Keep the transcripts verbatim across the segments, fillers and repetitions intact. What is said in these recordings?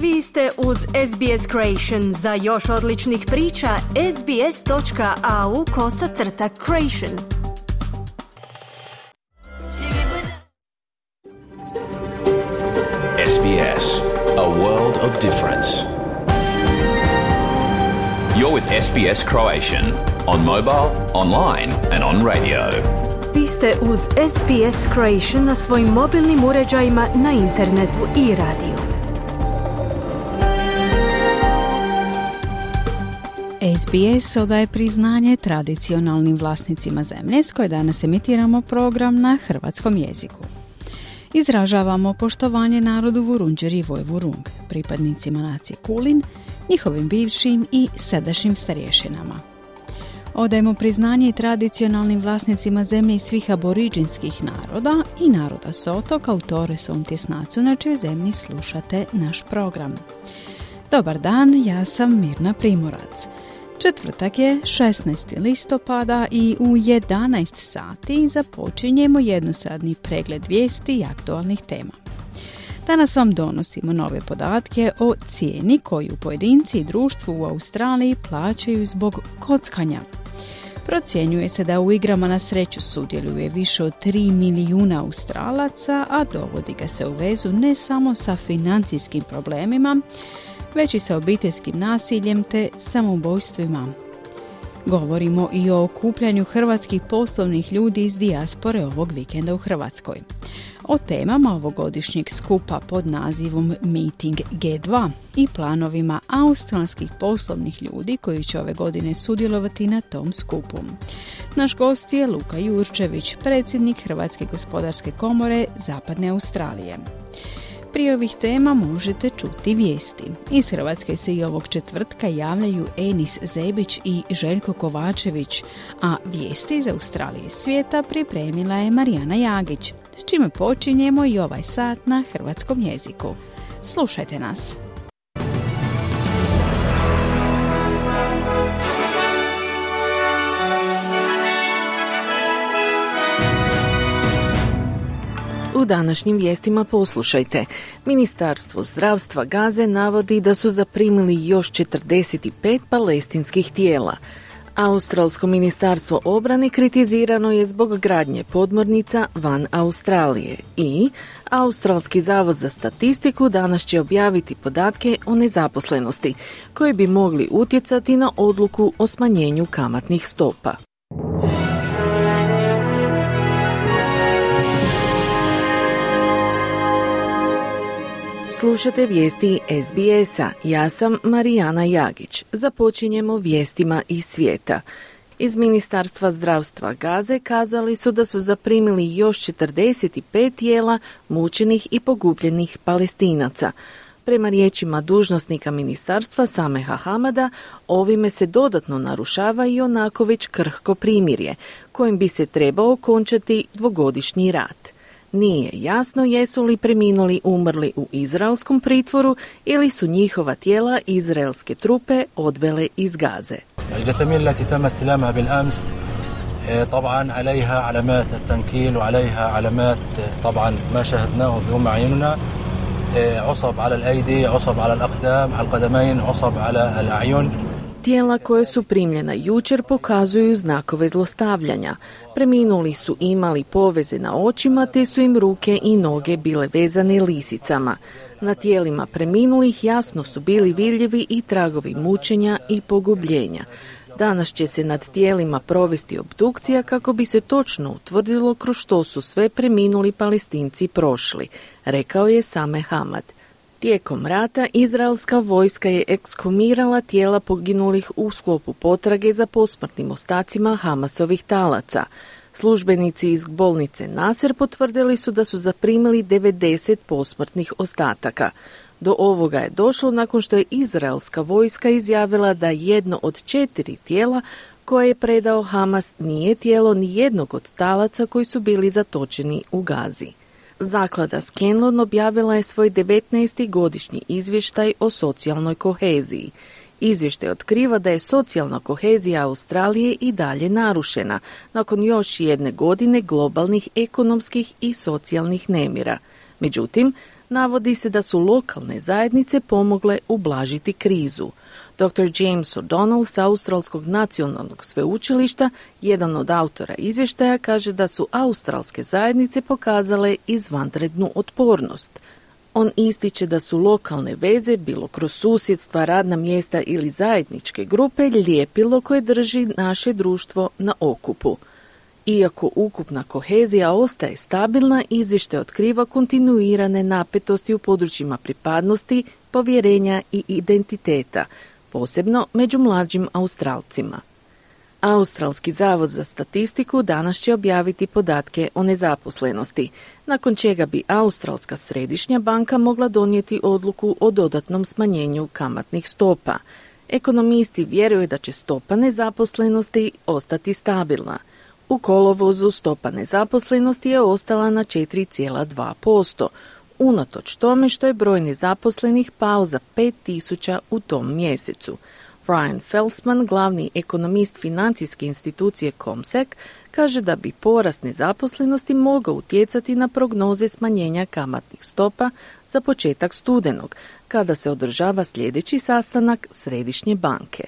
Vi ste uz S B S Creation. Za još odličnih priča, sbs.au kosacrta creation. S B S, a world of difference. You're with S B S Croatian, on mobile, online and on radio. Vi ste uz S B S Creation na svojim mobilnim uređajima, na internetu i radiju. S B S odaje priznanje tradicionalnim vlasnicima zemlje s koje danas emitiramo program na hrvatskom jeziku. Izražavamo poštovanje narodu Vurundjeri Vojvurung, pripadnicima nacije Kulin, njihovim bivšim i sadašnjim starješinama. Odajemo priznanje i tradicionalnim vlasnicima zemlje i svih aboriđinskih naroda i naroda s otoka u Torresom tjesnacu na čijoj zemlji slušate naš program. Dobar dan, ja sam Mirna Primorac. Četvrtak je šesnaestog listopada i u jedanaest sati započinjemo jednosadni pregled vijesti i aktualnih tema. Danas vam donosimo nove podatke o cijeni koju pojedinci i društvu u Australiji plaćaju zbog kockanja. Procjenjuje se da u igrama na sreću sudjeluje više od tri milijuna Australaca, a dovodi ga se u vezu ne samo sa financijskim problemima, već i sa obiteljskim nasiljem te samoubojstvima. Govorimo i o okupljanju hrvatskih poslovnih ljudi iz dijaspore ovog vikenda u Hrvatskoj. O temama ovogodišnjeg skupa pod nazivom Meeting G dva i planovima australskih poslovnih ljudi koji će ove godine sudjelovati na tom skupu. Naš gost je Luka Jurčević, predsjednik Hrvatske gospodarske komore Zapadne Australije. Prije ovih tema možete čuti vijesti. Iz Hrvatske se i ovog četvrtka javljaju Enis Zebić i Željko Kovačević, a vijesti iz Australije i svijeta pripremila je Marijana Jagić, s čime počinjemo i ovaj sat na hrvatskom jeziku. Slušajte nas. U današnjim vijestima poslušajte. Ministarstvo zdravstva Gaze navodi da su zaprimili još četrdeset pet palestinskih tijela. Australsko ministarstvo obrane kritizirano je zbog gradnje podmornica van Australije i Australski zavod za statistiku danas će objaviti podatke o nezaposlenosti koji bi mogli utjecati na odluku o smanjenju kamatnih stopa. Slušate vijesti S B S-a. Ja sam Marijana Jagić. Započinjemo vijestima iz svijeta. Iz Ministarstva zdravstva Gaze kazali su da su zaprimili još četrdeset pet tijela mučenih i pogubljenih Palestinaca. Prema riječima dužnosnika ministarstva Sameha Hamada, ovime se dodatno narušava i onako već krhko primirje, kojim bi se trebao okončati dvogodišnji rat. Nije jasno jesu li preminuli umrli u izraelskom pritvoru ili su njihova tijela izraelske trupe odvele iz Gaze. الجثامين التي تم استلامها بالأمس طبعا عليها علامات التنكيل وعليها علامات طبعا ما شاهدناه بأم أعيننا عصب على الأيدي عصب على الأقدام على القدمين عصب على الأعين. Tijela koje su primljena jučer pokazuju znakove zlostavljanja. Preminuli su imali poveze na očima te su im ruke i noge bile vezane lisicama. Na tijelima preminulih jasno su bili vidljivi i tragovi mučenja i pogubljenja. Danas će se nad tijelima provesti obdukcija kako bi se točno utvrdilo kroz što su sve preminuli Palestinci prošli, rekao je Sameh Hamad. Tijekom rata izraelska vojska je ekshumirala tijela poginulih u sklopu potrage za posmrtnim ostacima Hamasovih talaca. Službenici iz bolnice Nasser potvrdili su da su zaprimili devedeset posmrtnih ostataka. Do ovoga je došlo nakon što je izraelska vojska izjavila da jedno od četiri tijela koje je predao Hamas nije tijelo ni jednog od talaca koji su bili zatočeni u Gazi. Zaklada Scanlon objavila je svoj devetnaesti godišnji izvještaj o socijalnoj koheziji. Izvještaj otkriva da je socijalna kohezija Australije i dalje narušena nakon još jedne godine globalnih ekonomskih i socijalnih nemira. Međutim, Navodi se da su lokalne zajednice pomogle ublažiti krizu. doktor James O'Donnell sa Australskog nacionalnog sveučilišta, jedan od autora izvještaja, kaže da su australske zajednice pokazale izvanrednu otpornost. On ističe da su lokalne veze, bilo kroz susjedstva, radna mjesta ili zajedničke grupe, ljepilo koje drži naše društvo na okupu. Iako ukupna kohezija ostaje stabilna, izvještaj otkriva kontinuirane napetosti u područjima pripadnosti, povjerenja i identiteta, posebno među mlađim Australcima. Australski zavod za statistiku danas će objaviti podatke o nezaposlenosti, nakon čega bi Australska središnja banka mogla donijeti odluku o dodatnom smanjenju kamatnih stopa. Ekonomisti vjeruju da će stopa nezaposlenosti ostati stabilna. U kolovozu stopa nezaposlenosti je ostala na četiri zarez dva posto, unatoč tome što je broj nezaposlenih pao za pet tisuća u tom mjesecu. Brian Felsman, glavni ekonomist financijske institucije Comsec, kaže da bi porast nezaposlenosti mogao utjecati na prognoze smanjenja kamatnih stopa za početak studenog, kada se održava sljedeći sastanak Središnje banke.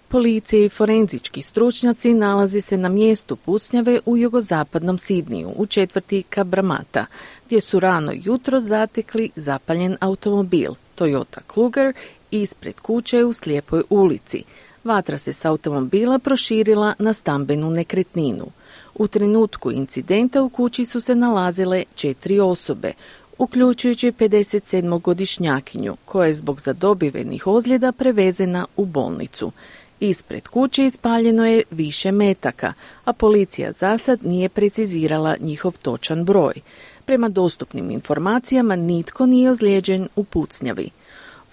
Policija i forenzički stručnjaci nalaze se na mjestu pucnjave u jugozapadnom Sidniju, u četvrti Cabramatta, gdje su rano jutro zatekli zapaljen automobil Toyota Kluger ispred kuće u slijepoj ulici. Vatra se s automobila proširila na stambenu nekretninu. U trenutku incidenta u kući su se nalazile četiri osobe, uključujući pedesetsedmogodišnjakinju, koja je zbog zadobivenih ozljeda prevezena u bolnicu. Ispred kuće ispaljeno je više metaka, a policija zasad nije precizirala njihov točan broj. Prema dostupnim informacijama nitko nije ozlijeđen u pucnjavi.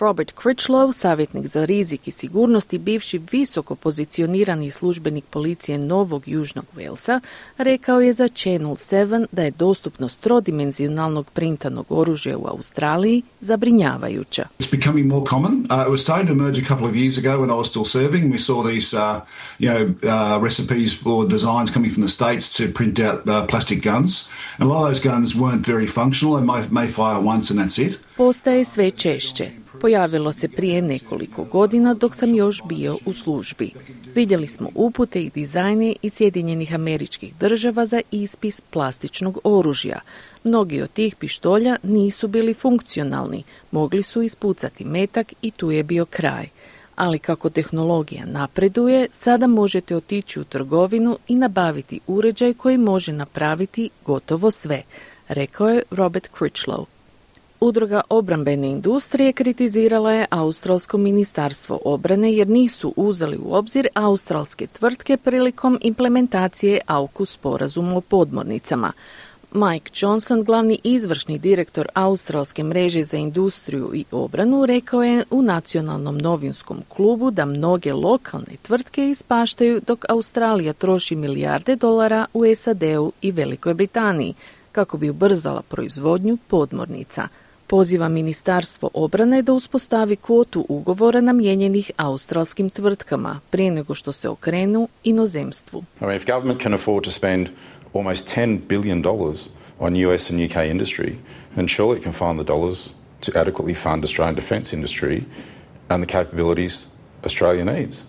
Robert Critchlow, savjetnik za rizik i sigurnost i bivši visoko pozicionirani službenik policije Novog Južnog Walesa, rekao je za Channel sedam da je dostupnost trodimenzionalnog printanog oružja u Australiji zabrinjavajuća. It's becoming more common. Uh, it was starting to emerge a couple of years ago when I was still serving. We saw these, uh, you know, uh, recipes or designs coming from the States to print out uh, plastic guns. And a lot of those guns weren't very functional and may, may fire once and that's it. Postaje sve češće. Pojavilo se prije nekoliko godina dok sam još bio u službi. Vidjeli smo upute i dizajne iz Sjedinjenih Američkih Država za ispis plastičnog oružja. Mnogi od tih pištolja nisu bili funkcionalni, mogli su ispucati metak i tu je bio kraj. Ali kako tehnologija napreduje, sada možete otići u trgovinu i nabaviti uređaj koji može napraviti gotovo sve, rekao je Robert Critchlow. Udruga obrambene industrije kritizirala je Australsko ministarstvo obrane jer nisu uzeli u obzir australske tvrtke prilikom implementacije AUKUS sporazuma o podmornicama. Mike Johnson, glavni izvršni direktor Australske mreže za industriju i obranu, rekao je u nacionalnom novinskom klubu da mnoge lokalne tvrtke ispaštaju dok Australija troši milijarde dolara u S A D-u i Velikoj Britaniji kako bi ubrzala proizvodnju podmornica. Poziva Ministarstvo obrane da uspostavi kvotu ugovora namijenjenih australskim tvrtkama prije nego što se okrenu inozemstvu. I mean, if government can afford to spend almost ten billion dollars on U S and U K industry, then surely it can find the dollars to adequately fund Australian defence industry and the capabilities Australia needs.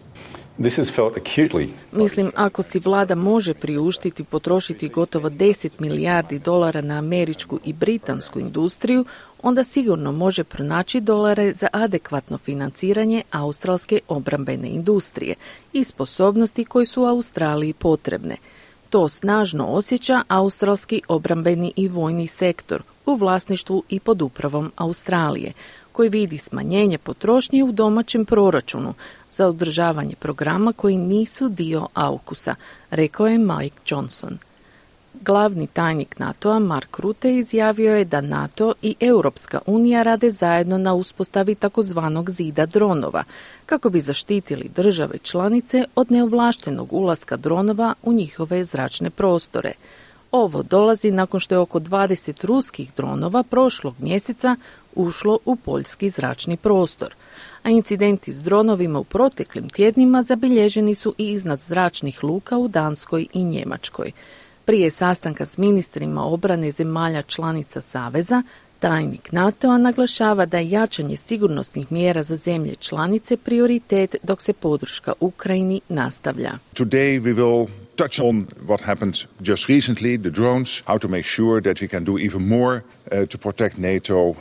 This is felt acutely. Mislim, ako si vlada može priuštiti potrošiti gotovo deset milijardi dolara na američku i britansku industriju, onda sigurno može pronaći dolare za adekvatno financiranje australske obrambene industrije i sposobnosti koje su Australiji potrebne. To snažno osjeća australski obrambeni i vojni sektor u vlasništvu i pod upravom Australije, koji vidi smanjenje potrošnje u domaćem proračunu za održavanje programa koji nisu dio AUKUS-a, rekao je Mike Johnson. Glavni tajnik NATO-a Mark Rutte izjavio je da NATO i Europska unija rade zajedno na uspostavi takozvanog zida dronova, kako bi zaštitili države članice od neovlaštenog ulaska dronova u njihove zračne prostore. Ovo dolazi nakon što je oko dvadeset ruskih dronova prošlog mjeseca ušlo u poljski zračni prostor, a incidenti s dronovima u proteklim tjednima zabilježeni su i iznad zračnih luka u Danskoj i Njemačkoj. Prije sastanka s ministrima obrane zemalja članica Saveza, Tajnik NATO-a naglašava da je jačanje sigurnosnih mjera za zemlje članice prioritet dok se podrška Ukrajini nastavlja. Today we will touch on what happened just recently, the drones, how to make sure that we can do even more uh, to protect NATO uh,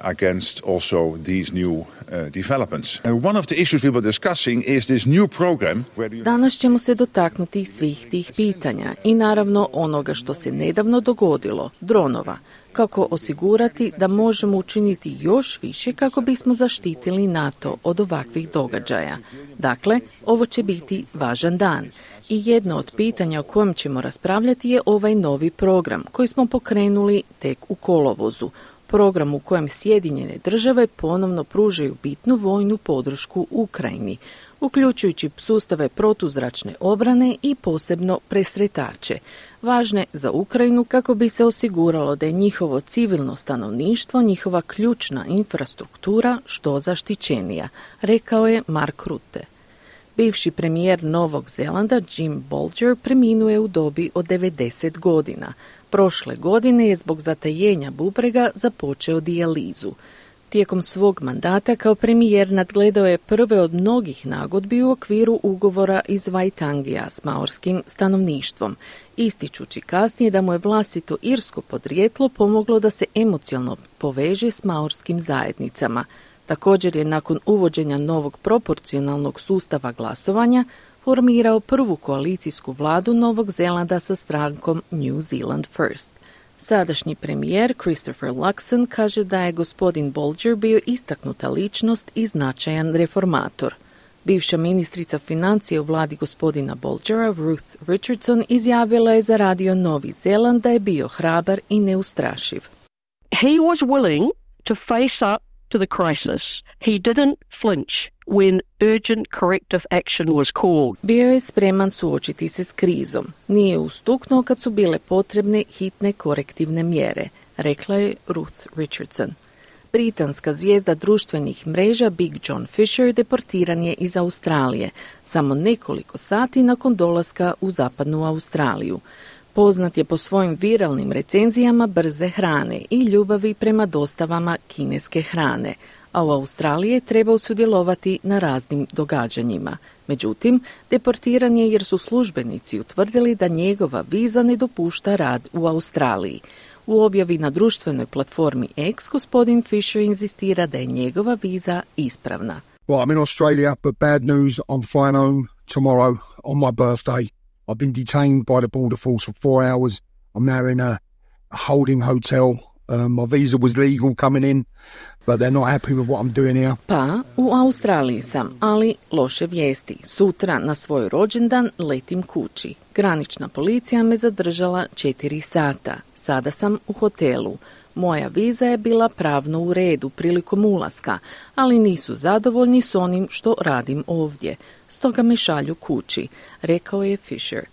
against also these new uh, developments. Uh, one of the issues we were discussing is this new program. Where Danas ćemo se dotaknuti svih tih pitanja i naravno onoga što se nedavno dogodilo, dronova. Kako osigurati da možemo učiniti još više kako bismo zaštitili NATO od ovakvih događaja. Dakle, ovo će biti važan dan. I jedno od pitanja o kojem ćemo raspravljati je ovaj novi program koji smo pokrenuli tek u kolovozu. Program u kojem Sjedinjene države ponovno pružaju bitnu vojnu podršku Ukrajini, uključujući sustave protuzračne obrane i posebno presretače, važne za Ukrajinu kako bi se osiguralo da je njihovo civilno stanovništvo, njihova ključna infrastruktura što zaštićenija, rekao je Mark Rutte. Bivši premijer Novog Zelanda Jim Bolger preminuje u dobi od devedeset godina. Prošle godine je zbog zatajenja bubrega započeo dijalizu. Tijekom svog mandata kao premijer nadgledao je prve od mnogih nagodbi u okviru ugovora iz Vaitangija s maorskim stanovništvom, ističući kasnije da mu je vlastito irsko podrijetlo pomoglo da se emocionalno poveže s maorskim zajednicama. Također je nakon uvođenja novog proporcionalnog sustava glasovanja formirao prvu koalicijsku vladu Novog Zelanda sa strankom New Zealand First. Sadašnji premijer Christopher Luxon kaže da je gospodin Bolger bio istaknuta ličnost i značajan reformator. Bivša ministrica financije u vladi gospodina Bolgera, Ruth Richardson, izjavila je za radio Novi Zeland da je bio hrabar i neustrašiv. He was willing to face up to the crisis. He didn't flinch when urgent corrective action was called. Bio je spreman suočiti se s krizom. Nije ustuknuo kad su bile potrebne hitne korektivne mjere, rekla je Ruth Richardson. Britanska zvijezda društvenih mreža Big John Fisher deportiran je iz Australije, samo nekoliko sati nakon dolaska u zapadnu Australiju. Poznat je po svojim viralnim recenzijama brze hrane i ljubavi prema dostavama kineske hrane, a u Australiji je trebao sudjelovati na raznim događanjima. Međutim, deportiran je jer su službenici utvrdili da njegova viza ne dopušta rad u Australiji. U objavi na društvenoj platformi X gospodin Fisher inzistira da je njegova viza ispravna. Well, I'm in Australia, but bad news, I'm flying home tomorrow on my birthday. I've been detained by the border force for four hours. I'm now in a, a holding hotel. Um, my visa was legal coming in, but they're not happy with what I'm doing here. Pa, u Australiji sam, ali loše vijesti. Sutra na svoj rođendan letim kući. Granična policija me zadržala četiri sata. Sada sam u hotelu. Moja viza je bila pravno u redu prilikom ulaska, ali nisu zadovoljni s onim što radim ovdje. Stoga me šalju kući, rekao je Fisher.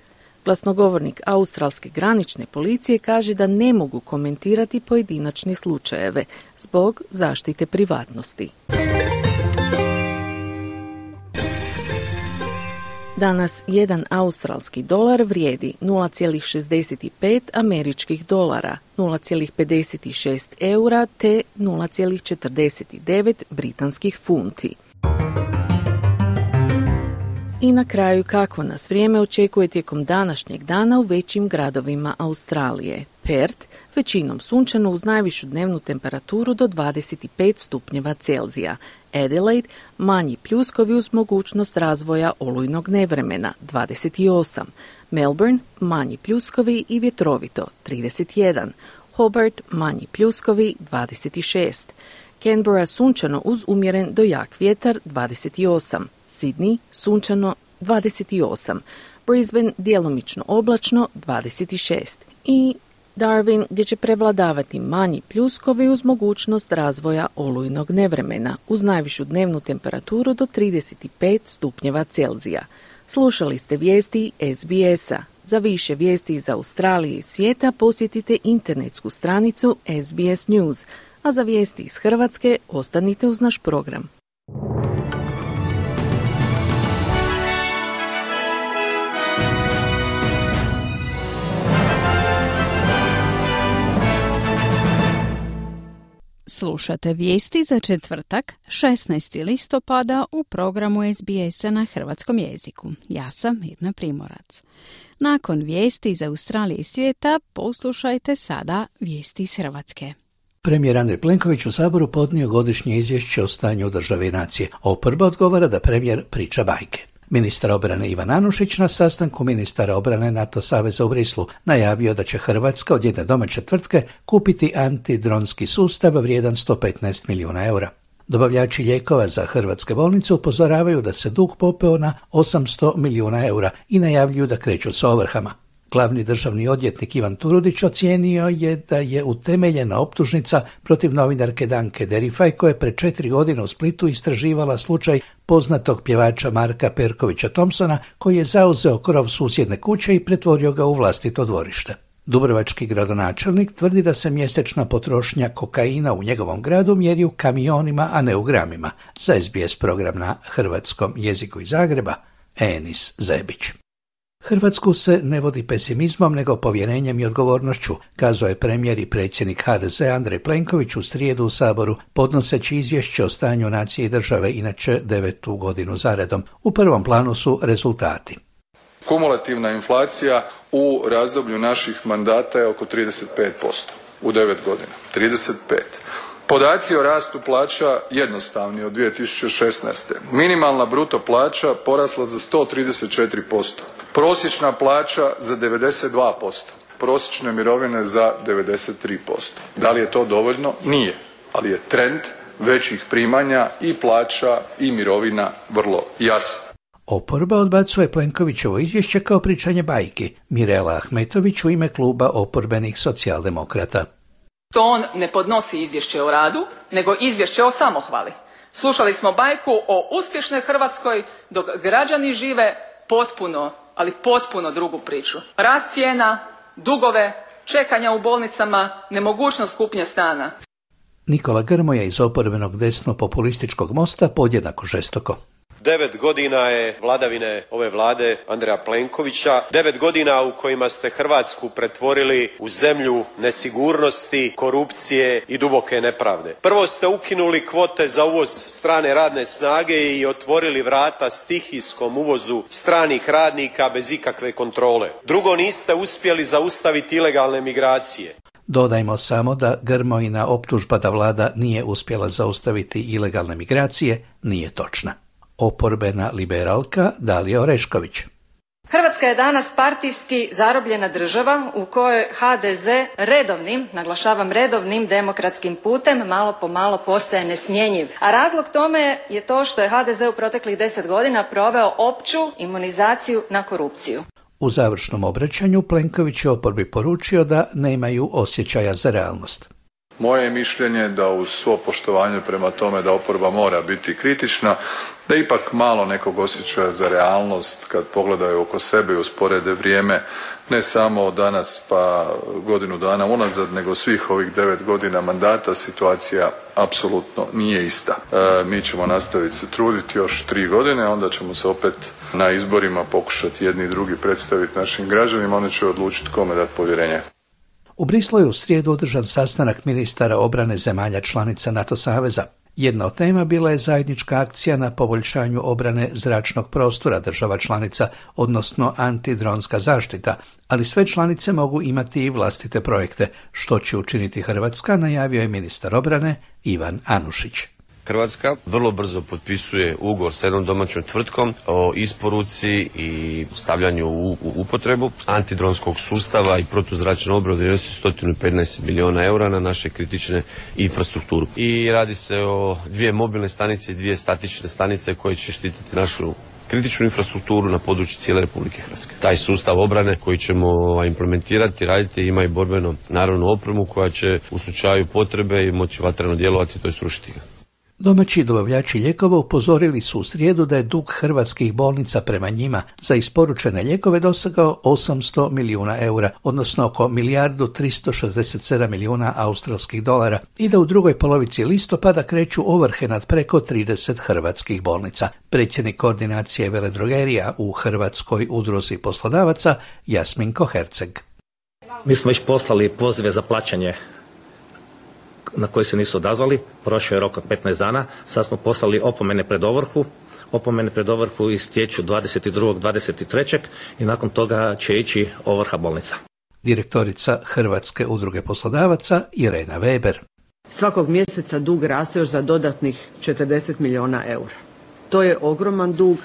Glasnogovornik australske granične policije kaže da ne mogu komentirati pojedinačne slučajeve zbog zaštite privatnosti. Danas jedan australski dolar vrijedi nula zarez šezdeset pet američkih dolara, nula zarez pedeset šest eura te nula zarez četrdeset devet britanskih funti. I na kraju kako nas vrijeme očekuje tijekom današnjeg dana u većim gradovima Australije. Perth, većinom sunčano uz najvišu dnevnu temperaturu do dvadeset pet stupnjeva Celzija. Adelaide, manji pljuskovi uz mogućnost razvoja olujnog nevremena, dvadeset osam. Melbourne, manji pljuskovi i vjetrovito, trideset jedan. Hobart, manji pljuskovi, dvadeset šest. Canberra, sunčano uz umjeren do jak vjetar, dvadeset osam. Sydney, sunčano, dvadeset osam. Brisbane, djelomično oblačno, dvadeset šest. I Darwin, gdje će prevladavati manji pljuskovi uz mogućnost razvoja olujnog nevremena, uz najvišu dnevnu temperaturu do trideset pet stupnjeva Celzija. Slušali ste vijesti S B S-a. Za više vijesti iz Australije i svijeta posjetite internetsku stranicu S B S News, a za vijesti iz Hrvatske ostanite uz naš program. Slušate vijesti za četvrtak, šesnaestog listopada u programu S B S-a na hrvatskom jeziku. Ja sam Mirna Primorac. Nakon vijesti iz Australije i svijeta, poslušajte sada vijesti iz Hrvatske. Premijer Andrej Plenković u Saboru podnio godišnje izvješće o stanju u državi i nacije. Oporba odgovara da premijer priča bajke. Ministar obrane Ivan Anušić na sastanku ministara obrane NATO saveza u Brislu najavio da će Hrvatska od jedne domaće tvrtke kupiti antidronski sustav vrijedan sto petnaest milijuna eura. Dobavljači lijekova za hrvatske bolnice upozoravaju da se dug popeo na osamsto milijuna eura i najavljuju da kreću s ovrhama. Glavni državni odvjetnik Ivan Turudić ocijenio je da je utemeljena optužnica protiv novinarke Danke Derifaj koja je pred četiri godine u Splitu istraživala slučaj poznatog pjevača Marka Perkovića Thompsona koji je zauzeo krov susjedne kuće i pretvorio ga u vlastito dvorište. Dubrovački gradonačelnik tvrdi da se mjesečna potrošnja kokaina u njegovom gradu mjeri u kamionima, a ne u gramima. Za S B S program na hrvatskom jeziku iz Zagreba, Enis Zebić. Hrvatsku se ne vodi pesimizmom nego povjerenjem i odgovornošću, kazao je premijer i predsjednik H D Z Andrej Plenković u srijedu u Saboru, podnoseći izvješće o stanju nacije i države, inače devetu godinu zaredom. U prvom planu su rezultati. Kumulativna inflacija u razdoblju naših mandata je oko trideset pet posto u devet godina. trideset pet. Podaci o rastu plaća jednostavni od dvije tisuće šesnaeste. Minimalna bruto plaća porasla za sto trideset četiri posto. Prosječna plaća za devedeset dva posto. Prosječne mirovine za devedeset tri posto. Da li je to dovoljno? Nije. Ali je trend većih primanja i plaća i mirovina vrlo jasan. Oporba odbacuje Plenkovićevo izvješće kao pričanje bajki. Mirela Ahmetović u ime kluba oporbenih socijaldemokrata. To on ne podnosi izvješće o radu, nego izvješće o samohvali. Slušali smo bajku o uspješnoj Hrvatskoj, dok građani žive potpuno, ali potpuno drugu priču. Rast cijena, dugove, čekanja u bolnicama, nemogućnost kupnje stana. Nikola Grmoja iz oporbenog desno-populističkog Mosta podjednako žestoko. Devet godina je vladavine ove vlade Andreja Plenkovića, devet godina u kojima ste Hrvatsku pretvorili u zemlju nesigurnosti, korupcije i duboke nepravde. Prvo ste ukinuli kvote za uvoz strane radne snage i otvorili vrata stihijskom uvozu stranih radnika bez ikakve kontrole. Drugo, niste uspjeli zaustaviti ilegalne migracije. Dodajmo samo da Grmojina optužba da vlada nije uspjela zaustaviti ilegalne migracije nije točna. Oporbena liberalka Dalija Orešković. Hrvatska je danas partijski zarobljena država u kojoj H D Z redovnim, naglašavam redovnim demokratskim putem malo po malo postaje nesmjenjiv. A razlog tome je to što je H D Z u proteklih deset godina proveo opću imunizaciju na korupciju. U završnom obraćanju Plenković je oporbi poručio da nemaju osjećaja za realnost. Moje je mišljenje da uz svo poštovanje prema tome da oporba mora biti kritična, da ipak malo nekog osjećaja za realnost kad pogledaju oko sebe i usporede vrijeme ne samo od danas pa godinu dana unazad, nego svih ovih devet godina mandata situacija apsolutno nije ista. E, mi ćemo nastaviti se truditi još tri godine, onda ćemo se opet na izborima pokušati jedni i drugi predstaviti našim građanima, oni će odlučiti kome dati povjerenje. U Brislu je u srijedu održan sastanak ministara obrane zemalja članica NATO saveza. Jedna od tema bila je zajednička akcija na poboljšanju obrane zračnog prostora država članica, odnosno antidronska zaštita, ali sve članice mogu imati i vlastite projekte, što će učiniti Hrvatska, najavio je ministar obrane Ivan Anušić. Hrvatska vrlo brzo potpisuje ugovor s jednom domaćom tvrtkom o isporuci i stavljanju u upotrebu antidronskog sustava i protuzračne obrane vrijednosti sto petnaest milijuna eura na naše kritične infrastrukturu. I radi se o dvije mobilne stanice i dvije statične stanice koje će štititi našu kritičnu infrastrukturu na području cijele Republike Hrvatske. Taj sustav obrane koji ćemo implementirati, raditi, ima i borbeno naravno opremu koja će u slučaju potrebe i moći vatreno djelovati, to je srušiti ga. Domaći dobavljači lijekova upozorili su u srijedu da je dug hrvatskih bolnica prema njima za isporučene lijekove dosegao osamsto milijuna eura, odnosno oko milijardu tristo šezdeset sedam milijuna australskih dolara i da u drugoj polovici listopada kreću ovrhe nad preko trideset hrvatskih bolnica. Predsjednik koordinacije veledrogerija u Hrvatskoj udruzi poslodavaca Jasminko Herceg. Mi smo već poslali pozive za plaćanje na koji se nisu odazvali. Prošao je rok od petnaest dana. Sad smo poslali opomene pred ovrhu. Opomene pred ovrhu istječu dvadeset drugog dvadeset trećeg i nakon toga će ići ovrha bolnica. Direktorica Hrvatske udruge poslodavaca Irena Weber. Svakog mjeseca dug raste još za dodatnih četrdeset milijuna eura. To je ogroman dug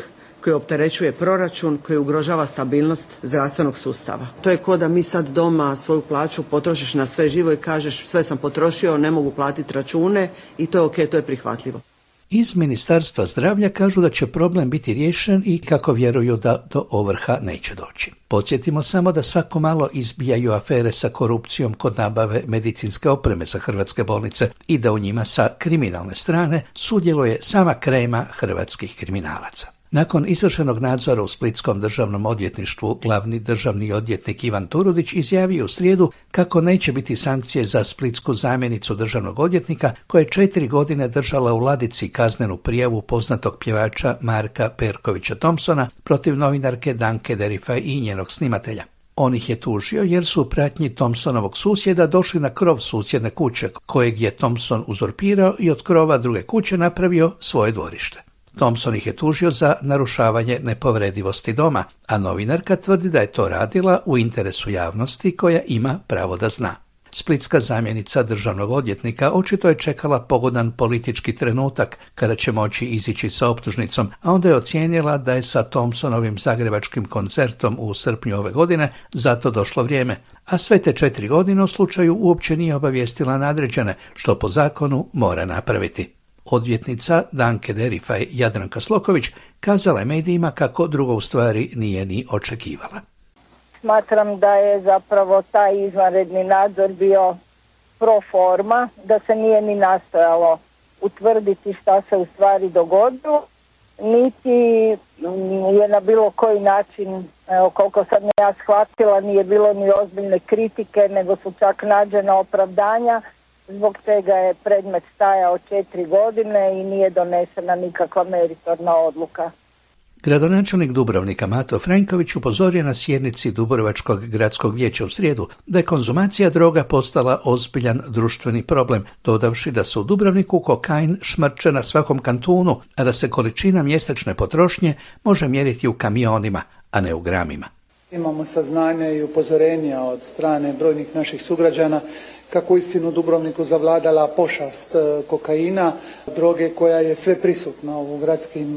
koji opterećuje proračun, koji ugrožava stabilnost zdravstvenog sustava. To je ko da mi sad doma svoju plaću potrošiš na sve živo i kažeš sve sam potrošio, ne mogu platiti račune i to je ok, to je prihvatljivo. Iz Ministarstva zdravlja kažu da će problem biti riješen i kako vjeruju da do ovrha neće doći. Podsjetimo samo da svako malo izbijaju afere sa korupcijom kod nabave medicinske opreme za hrvatske bolnice i da u njima sa kriminalne strane sudjeluje sama krema hrvatskih kriminalaca. Nakon izvršenog nadzora u Splitskom državnom odvjetništvu, glavni državni odvjetnik Ivan Turudić izjavio u srijedu kako neće biti sankcije za splitsku zamjenicu državnog odvjetnika koja je četiri godine držala u ladici kaznenu prijavu poznatog pjevača Marka Perkovića Thompsona protiv novinarke Danke Derifaj i njenog snimatelja. On ih je tužio jer su u pratnji Thompsonovog susjeda došli na krov susjedne kuće kojeg je Thompson uzurpirao i od krova druge kuće napravio svoje dvorište. Thompson ih je tužio za narušavanje nepovredivosti doma, a novinarka tvrdi da je to radila u interesu javnosti koja ima pravo da zna. Splitska zamjenica državnog odvjetnika očito je čekala pogodan politički trenutak kada će moći izići sa optužnicom, a onda je ocijenila da je sa Thompsonovim zagrebačkim koncertom u srpnju ove godine zato došlo vrijeme, a sve te četiri godine u slučaju uopće nije obavijestila nadređene, što po zakonu mora napraviti. Odvjetnica Danke Derifaj Jadranka Sloković kazala je medijima kako drugo u stvari nije ni očekivala. Smatram da je zapravo taj izvanredni nadzor bio pro forma, da se nije ni nastojalo utvrditi šta se u stvari dogodilo, niti je na bilo koji način, evo, koliko sam ja shvatila, nije bilo ni ozbiljne kritike, nego su čak nađena opravdanja zbog čega je predmet stajao četiri godine i nije donesena nikakva meritorna odluka. Gradonačelnik Dubrovnika Mato Franković upozorio na sjednici Dubrovačkog gradskog vijeća u srijedu da je konzumacija droga postala ozbiljan društveni problem, dodavši da se u Dubrovniku kokain šmrče na svakom kantunu, a da se količina mjesečne potrošnje može mjeriti u kamionima, a ne u gramima. Imamo saznanja i upozorenja od strane brojnih naših sugrađana kako uistinu u Dubrovniku zavladala pošast kokaina, droge koja je sve prisutna u gradskim,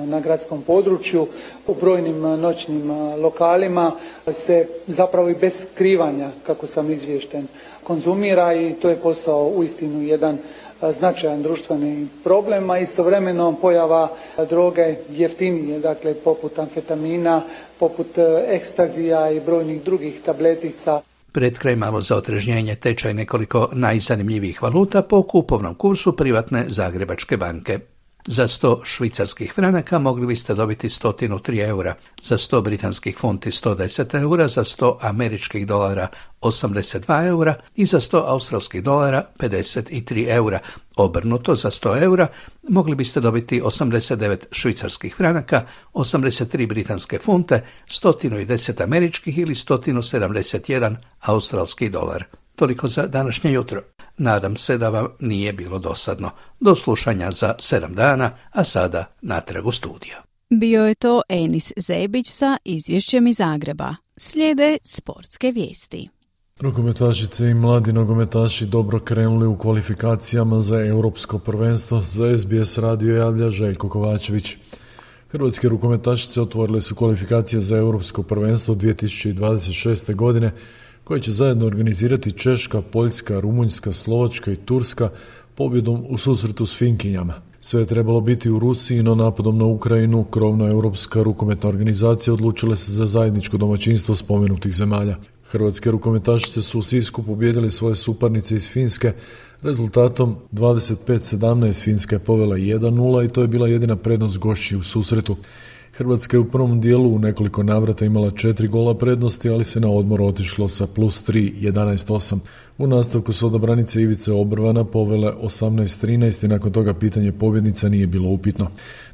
na gradskom području, u brojnim noćnim lokalima se zapravo i bez skrivanja, kako sam izvješten, konzumira i to je postao uistinu jedan značajan društveni problem, a istovremeno pojava droge jeftinije, dakle poput amfetamina, poput ekstazija i brojnih drugih tabletica. Pred kraj malo za otrežnjenje tečaj nekoliko najzanimljivijih valuta po kupovnom kursu privatne Zagrebačke banke. Za sto švicarskih franaka mogli biste dobiti sto tri eura, za sto britanskih funti sto deset eura, za sto američkih dolara osamdeset dva eura i za sto australskih dolara pedeset tri eura. Obrnuto, za sto eura mogli biste dobiti osamdeset devet švicarskih franaka, osamdeset tri britanske funte, sto deset američkih ili sto sedamdeset jedan australski dolar. Toliko za današnje jutro. Nadam se da vam nije bilo dosadno. Do slušanja za sedam dana, a sada natrag u studio. Bio je to Enis Zebić sa izvješćem iz Zagreba. Slijede sportske vijesti. Rukometašice i mladi nogometaši dobro krenuli u kvalifikacijama za europsko prvenstvo. Za S B S radio javlja Željko Kovačević. Hrvatske rukometašice otvorile su kvalifikacije za europsko prvenstvo dvije tisuće dvadeset šeste. godine, koje će zajedno organizirati Češka, Poljska, Rumunjska, Slovačka i Turska pobjedom u susretu s Finkinjama. Sve je trebalo biti u Rusiji, no napadom na Ukrajinu krovna europska rukometna organizacija odlučila se za zajedničko domaćinstvo spomenutih zemalja. Hrvatske rukometašice su u Sisku pobijedili svoje suparnice iz Finske rezultatom dvadeset pet sedamnaest. Finska je povela jedan nula i to je bila jedina prednost gošći u susretu. Hrvatska je u prvom dijelu u nekoliko navrata imala četiri gola prednosti, ali se na odmor otišlo sa plus tri, jedanaest osam. U nastavku su odabranice Ivice Obrvana povele osamnaest trinaest i nakon toga pitanje pobjednica nije bilo upitno.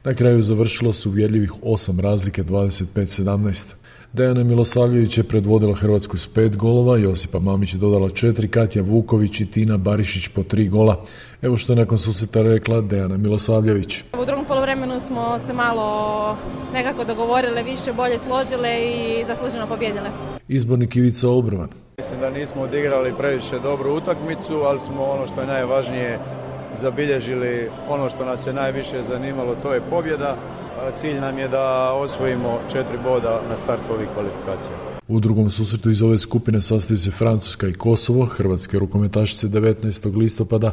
Na kraju završilo su uvjerljivih osam razlike, dvadeset pet sedamnaest. Dejana Milosavljević je predvodila Hrvatsku s pet golova, Josipa Mamić je dodala četiri, Katja Vuković i Tina Barišić po tri gola. Evo što je nakon susreta rekla Dejana Milosavljević. U drugom poluvremenu smo se malo nekako dogovorile, više bolje složile i zasluženo pobjedile. Izbornik Ivica Obrovan. Mislim da nismo odigrali previše dobru utakmicu, ali smo ono što je najvažnije zabilježili ono što nas je najviše zanimalo, to je pobjeda. Cilj nam je da osvojimo četiri boda na startu ovih kvalifikacija. U drugom susretu iz ove skupine sastaju se Francuska i Kosovo. Hrvatske rukometašice devetnaestog listopada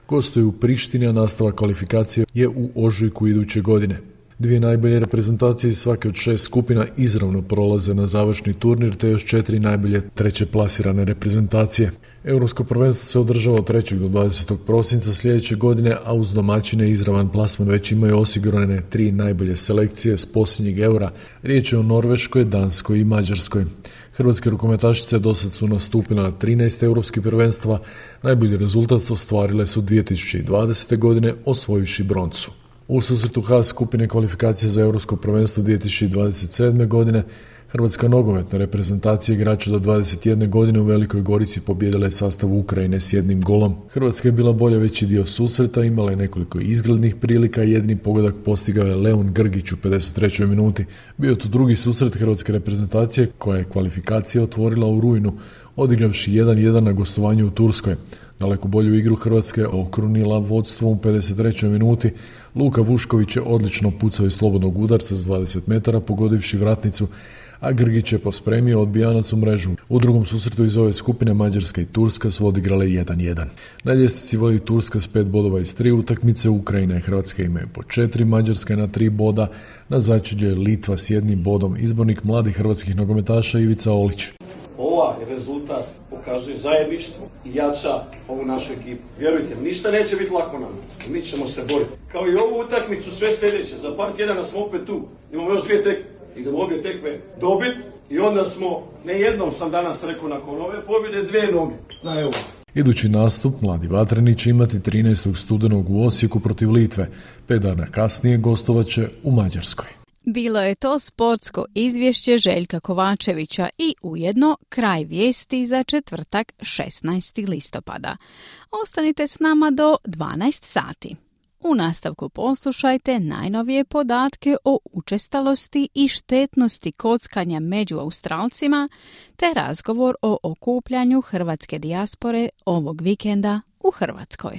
gostuju u Prištini, a nastavak kvalifikacije je u ožujku iduće godine. Dvije najbolje reprezentacije iz svake od šest skupina izravno prolaze na završni turnir, te još četiri najbolje treće plasirane reprezentacije. Europsko prvenstvo se održava od trećeg do dvadesetog prosinca sljedeće godine, a uz domaćine izravan plasman već imaju osigurane tri najbolje selekcije s posljednjeg eura. Riječ je o Norveškoj, Danskoj i Mađarskoj. Hrvatske rukometašice dosad su nastupile na trinaest europskih prvenstva. Najbolji rezultat ostvarile su dvije tisuće dvadesete. godine osvojivši broncu. U susretu H skupine kvalifikacije za Europsko prvenstvo dvije tisuće dvadeset sedme. godine Hrvatska nogometna reprezentacija igrača do dvadeset jedne godine u Velikoj Gorici pobijedila je sastav Ukrajine s jednim golom. Hrvatska je bila bolja veći dio susreta, imala je nekoliko izglednih prilika i jedini pogodak postigao je Leon Grgić u pedeset trećoj minuti. Bio je to drugi susret hrvatske reprezentacije koja je kvalifikacije otvorila u rujnu, odigravši jedan jedan na gostovanju u Turskoj. Daleko bolju igru Hrvatske okrunila vodstvom u pedeset trećoj minuti. Luka Vušković je odlično pucao iz slobodnog udarca s dvadeset metara pogodivši vratnicu, a Grgić je pospremio odbijanac u mrežu. U drugom susretu iz ove skupine Mađarska i Turska su odigrale jedan jedan. Na ljestvici vodi Turska s pet bodova iz tri utakmice, Ukrajina i Hrvatska imaju po četiri, Mađarska na tri boda, na začelju je Litva s jednim bodom. Izbornik mladih hrvatskih nogometaša Ivica Olić. Ovaj rezultat pokazuje zajedništvo i jača ovu našu ekipu. Vjerujte, ništa neće biti lako nam. Mi ćemo se boriti. Kao i ovu utakmicu sve sljedeće. Za par tjedana smo opet tu. Imamo još dvije tekme. Idemo obje tekme dobiti i onda smo, ne jednom sam danas rekao nakon ove pobjede, dvije noge. Na evo. Idući nastup mladi vatreni će imati trinaestog studenog u Osijeku protiv Litve. Pet dana kasnije gostovat će u Mađarskoj. Bilo je to sportsko izvješće Željka Kovačevića i ujedno kraj vijesti za četvrtak šesnaestog listopada. Ostanite s nama do dvanaest sati. U nastavku poslušajte najnovije podatke o učestalosti i štetnosti kockanja među Australcima te razgovor o okupljanju hrvatske dijaspore ovog vikenda u Hrvatskoj.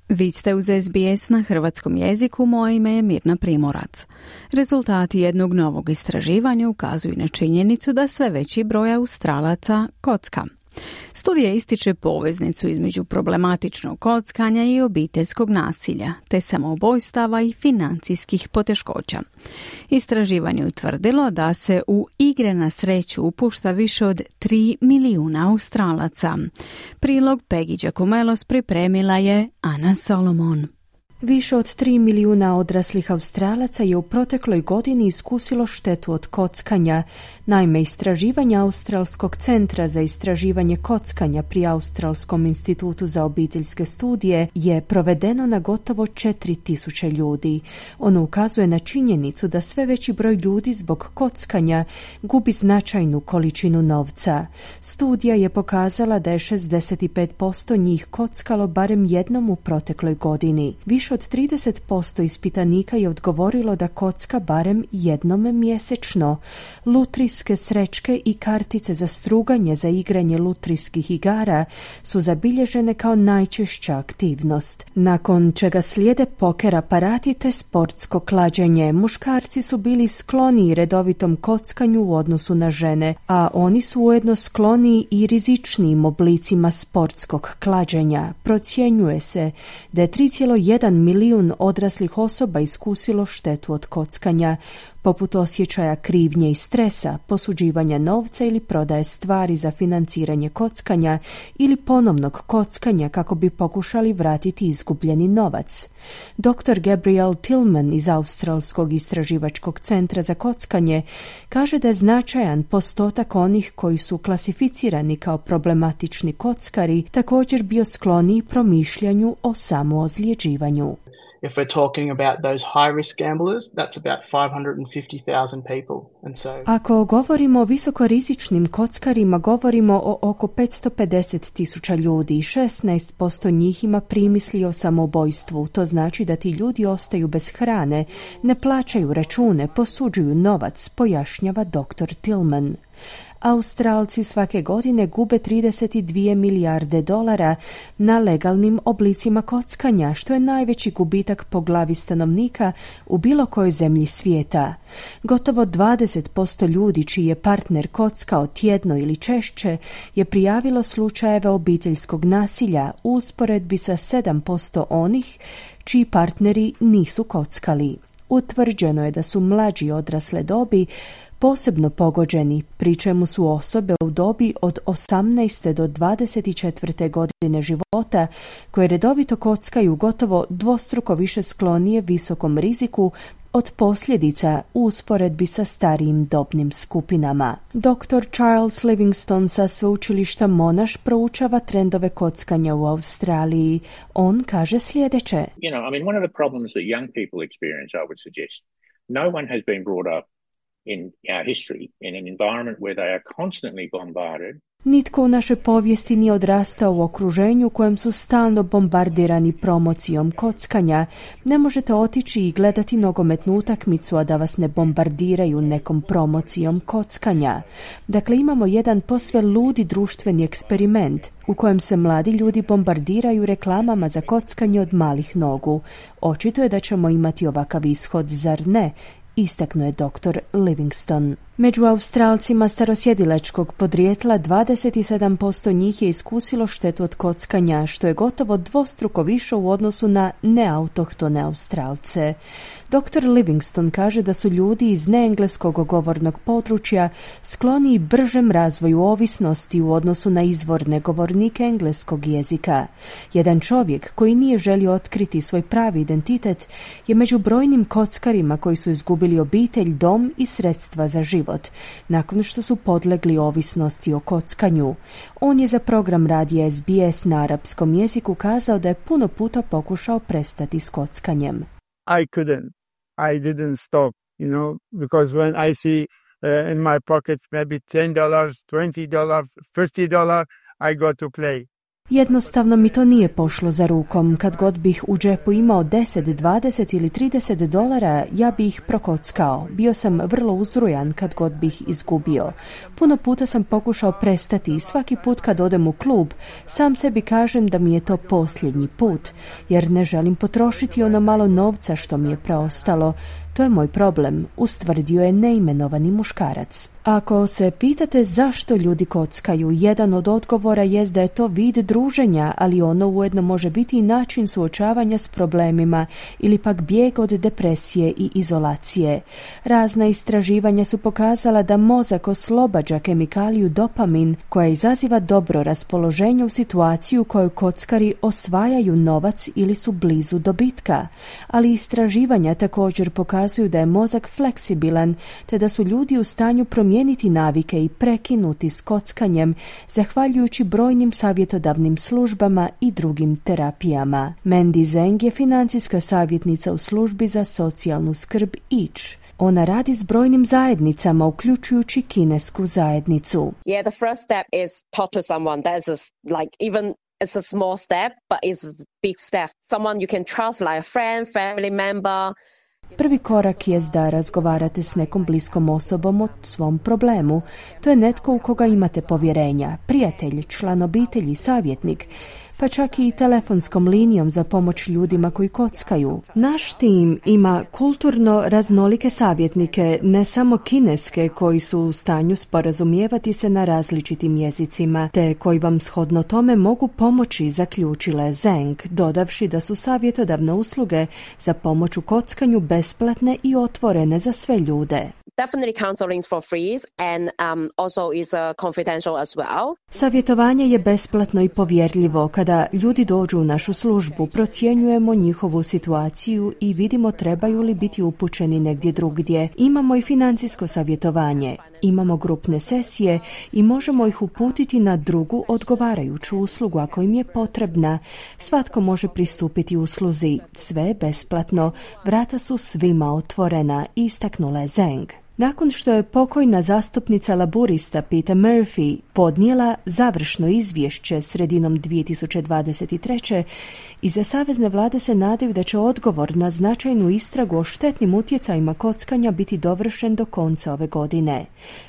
Vi ste uz S B S na hrvatskom jeziku, moje ime je Mirna Primorac. Rezultati jednog novog istraživanja ukazuju na činjenicu da sve veći broj Australaca kocka. Studija ističe poveznicu između problematičnog kockanja i obiteljskog nasilja, te samoubojstava i financijskih poteškoća. Istraživanje je utvrdilo da se u igre na sreću upušta više od tri milijuna Australaca. Prilog Peggy Giacomelos pripremila je Ana Solomon. Više od tri milijuna odraslih Australaca je u protekloj godini iskusilo štetu od kockanja. Naime, istraživanja Australskog centra za istraživanje kockanja pri Australskom institutu za obiteljske studije je provedeno na gotovo četiri tisuće ljudi. Ono ukazuje na činjenicu da sve veći broj ljudi zbog kockanja gubi značajnu količinu novca. Studija je pokazala da je šezdeset pet posto njih kockalo barem jednom u protekloj godini. Više od trideset posto ispitanika je odgovorilo da kocka barem jednom mjesečno. Lutrijske srećke i kartice za struganje za igranje lutrijskih igara su zabilježene kao najčešća aktivnost. Nakon čega slijede poker aparati te sportsko klađenje. Muškarci su bili skloniji redovitom kockanju u odnosu na žene, a oni su ujedno skloniji i rizičnijim oblicima sportskog klađenja. Procjenjuje se da je tri zarez jedan milijun odraslih osoba iskusilo štetu od kockanja, poput osjećaja krivnje i stresa, posuđivanja novca ili prodaje stvari za financiranje kockanja ili ponovnog kockanja kako bi pokušali vratiti izgubljeni novac. doktor Gabrielle Tillman iz Australskog istraživačkog centra za kockanje kaže da je značajan postotak onih koji su klasificirani kao problematični kockari također bio skloniji promišljanju o samoozljeđivanju. If we're talking about those high-risk gamblers, that's about five hundred fifty thousand people. And so... Ako govorimo o visokorizičnim kockarima, govorimo o oko petsto pedeset tisuća ljudi i šesnaest posto njih ima primisli o samoubojstvu. To znači da ti ljudi ostaju bez hrane, ne plaćaju račune, posuđuju novac, pojašnjava doktor Tillman. Australci svake godine gube trideset dvije milijarde dolara na legalnim oblicima kockanja, što je najveći gubitak po glavi stanovnika u bilo kojoj zemlji svijeta. Gotovo dvadeset posto ljudi čiji je partner kockao tjedno ili češće je prijavilo slučajeve obiteljskog nasilja u usporedbi sa sedam posto onih čiji partneri nisu kockali. Utvrđeno je da su mlađi odrasle dobi posebno pogođeni, pri čemu su osobe u dobi od osamnaeste do dvadeset četvrte godine života koje redovito kockaju gotovo dvostruko više sklonije visokom riziku od posljedica u usporedbi sa starijim dobnim skupinama. doktor Charles Livingston sa sveučilišta Monash proučava trendove kockanja u Australiji. On kaže sljedeće. You know, I mean, one of the problems that young people experience, I would suggest, no one has been brought up in our history in an environment where they are constantly bombarded. Nitko u našoj povijesti nije odrastao u okruženju u kojem su stalno bombardirani promocijom kockanja. Ne možete otići i gledati nogometnu utakmicu, a da vas ne bombardiraju nekom promocijom kockanja. Dakle, imamo jedan posve ludi društveni eksperiment u kojem se mladi ljudi bombardiraju reklamama za kockanje od malih nogu. Očito je da ćemo imati ovakav ishod, zar ne? Istaknuo je doktor Livingston. Među Australcima starosjedilačkog podrijetla dvadeset sedam posto njih je iskusilo štetu od kockanja, što je gotovo dvostruko više u odnosu na neautohtone Australce. doktor Livingston kaže da su ljudi iz neengleskog govornog područja skloniji bržem razvoju ovisnosti u odnosu na izvorne govornike engleskog jezika. Jedan čovjek koji nije želio otkriti svoj pravi identitet je među brojnim kockarima koji su izgubili obitelj, dom i sredstva za život nakon što su podlegli ovisnosti o kockanju. On je za program radija S B S na arapskom jeziku kazao da je puno puta pokušao prestati s kockanjem. I couldn't. I didn't stop, you know, because when I see uh, in my pocket maybe ten dollars, twenty dollars, fifty dollars, I go to play. Jednostavno mi to nije pošlo za rukom. Kad god bih u džepu imao deset, dvadeset ili trideset dolara, ja bih ih prokockao. Bio sam vrlo uzrujan kad god bih izgubio. Puno puta sam pokušao prestati i svaki put kad odem u klub, sam sebi kažem da mi je to posljednji put, jer ne želim potrošiti ono malo novca što mi je preostalo. To je moj problem, ustvrdio je neimenovani muškarac. Ako se pitate zašto ljudi kockaju, jedan od odgovora jest da je to vid druženja, ali ono ujedno može biti i način suočavanja s problemima ili pak bijeg od depresije i izolacije. Razna istraživanja su pokazala da mozak oslobađa kemikaliju dopamin koja izaziva dobro raspoloženje u situaciju u kojoj kockari osvajaju novac ili su blizu dobitka. Ali istraživanja također pokazuju da je mozak fleksibilan, te da su ljudi u stanju promijeniti navike i prekinuti s kockanjem, zahvaljujući brojnim savjetodavnim službama i drugim terapijama. Mandy Zeng je financijska savjetnica u službi za socijalnu skrb Each. Ona radi s brojnim zajednicama, uključujući kinesku zajednicu. Yeah, the first step is talk to someone. That is like even it's a small step, but it's a big step. Someone you can trust, like a friend, family member. Prvi korak je da razgovarate s nekom bliskom osobom o svom problemu. To je netko u koga imate povjerenja, prijatelj, član obitelji, savjetnik, pa čak i telefonskom linijom za pomoć ljudima koji kockaju. Naš tim ima kulturno raznolike savjetnike, ne samo kineske koji su u stanju sporazumijevati se na različitim jezicima, te koji vam shodno tome mogu pomoći, zaključila je Zeng, dodavši da su savjetodavne usluge za pomoć u kockanju besplatne i otvorene za sve ljude. Definitely counseling for free and um, also is uh, confidential as well. Savjetovanje je besplatno i povjerljivo. Kada ljudi dođu u našu službu, procjenjujemo njihovu situaciju i vidimo trebaju li biti upućeni negdje drugdje. Imamo i financijsko savjetovanje. imamo grupne sesije i možemo ih uputiti na drugu odgovarajuću uslugu ako im je potrebna. Svatko može pristupiti usluzi. Sve je besplatno. Vrata su svima otvorena, istaknula je Zeng. Nakon što je pokojna zastupnica laburista Peta Murphy podnijela završno izvješće sredinom dvije tisuće dvadeset treće, iza savezne vlade se nadaju da će odgovor na značajnu istragu o štetnim utjecajima kockanja biti dovršen do konca ove godine.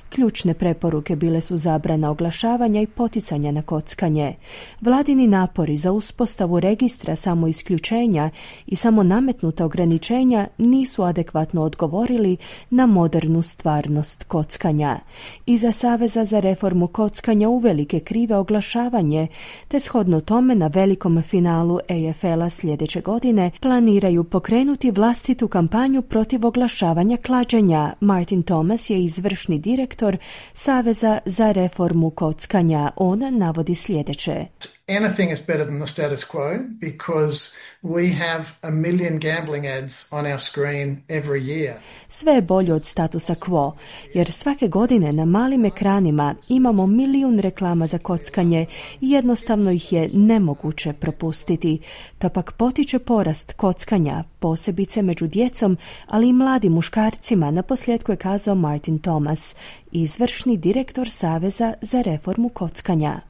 Ključne preporuke bile su zabrana oglašavanja i poticanja na kockanje. Vladini napori za uspostavu registra samoisključenja i samo nametnuta ograničenja nisu adekvatno odgovorili na modernu stvarnost kockanja. Iza Saveza za reformu kockanja uvelike krive oglašavanje, te shodno tome na velikom finalu A F L-a sljedeće godine planiraju pokrenuti vlastitu kampanju protiv oglašavanja klađenja. Martin Thomas je izvršni direktor Saveza za reformu kockanja. On navodi sljedeće. Anything is better than the status quo because we have a million gambling ads on our screen every year. Sve je bolje od statusa quo, jer svake godine na malim ekranima imamo milijun reklama za kockanje i jednostavno ih je nemoguće propustiti. To pak potiče porast kockanja, posebice među djecom, ali i mladim muškarcima, naposljetku je kazao Martin Thomas, izvršni direktor Saveza za reformu kockanja.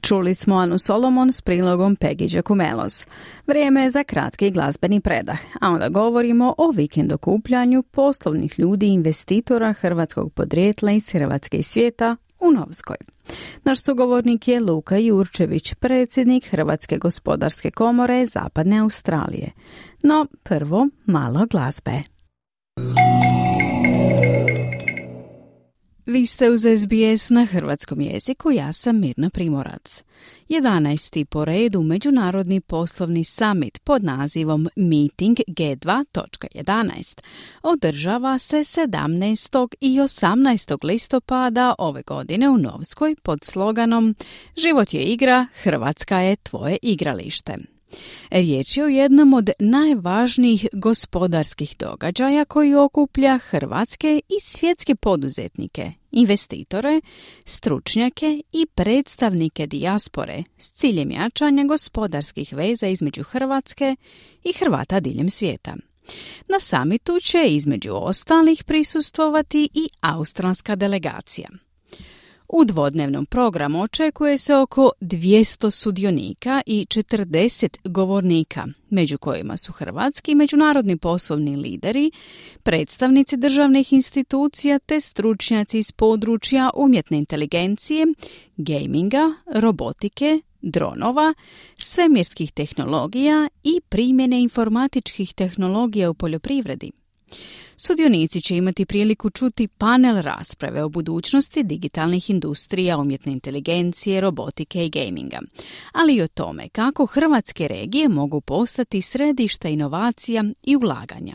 Čuli smo Anu Solomon s prilogom Peggy Giacomelos. Vrijeme je za kratki glazbeni predah, a onda govorimo o vikend okupljanju poslovnih ljudi i investitora hrvatskog podrijetla iz Hrvatske i svijeta u Novskoj. Naš sugovornik je Luka Jurčević, predsjednik Hrvatske gospodarske komore Zapadne Australije. No, prvo malo glazbe. Vi ste uz S B S na hrvatskom jeziku, ja sam Mirna Primorac. jedanaesti po redu Međunarodni poslovni summit pod nazivom Meeting G dva točka jedanaest održava se sedamnaestog i osamnaestog listopada ove godine u Novskoj pod sloganom Život je igra, Hrvatska je tvoje igralište. Riječ je o jednom od najvažnijih gospodarskih događaja koji okuplja hrvatske i svjetske poduzetnike, investitore, stručnjake i predstavnike dijaspore s ciljem jačanja gospodarskih veza između Hrvatske i Hrvata diljem svijeta. Na samitu će između ostalih prisustvovati i australska delegacija. U dvodnevnom programu očekuje se oko dvjesto sudionika i četrdeset govornika, među kojima su hrvatski i međunarodni poslovni lideri, predstavnici državnih institucija te stručnjaci iz područja umjetne inteligencije, gaminga, robotike, dronova, svemirskih tehnologija i primjene informatičkih tehnologija u poljoprivredi. Sudionici će imati priliku čuti panel rasprave o budućnosti digitalnih industrija, umjetne inteligencije, robotike i gaminga, ali i o tome kako hrvatske regije mogu postati središta inovacija i ulaganja.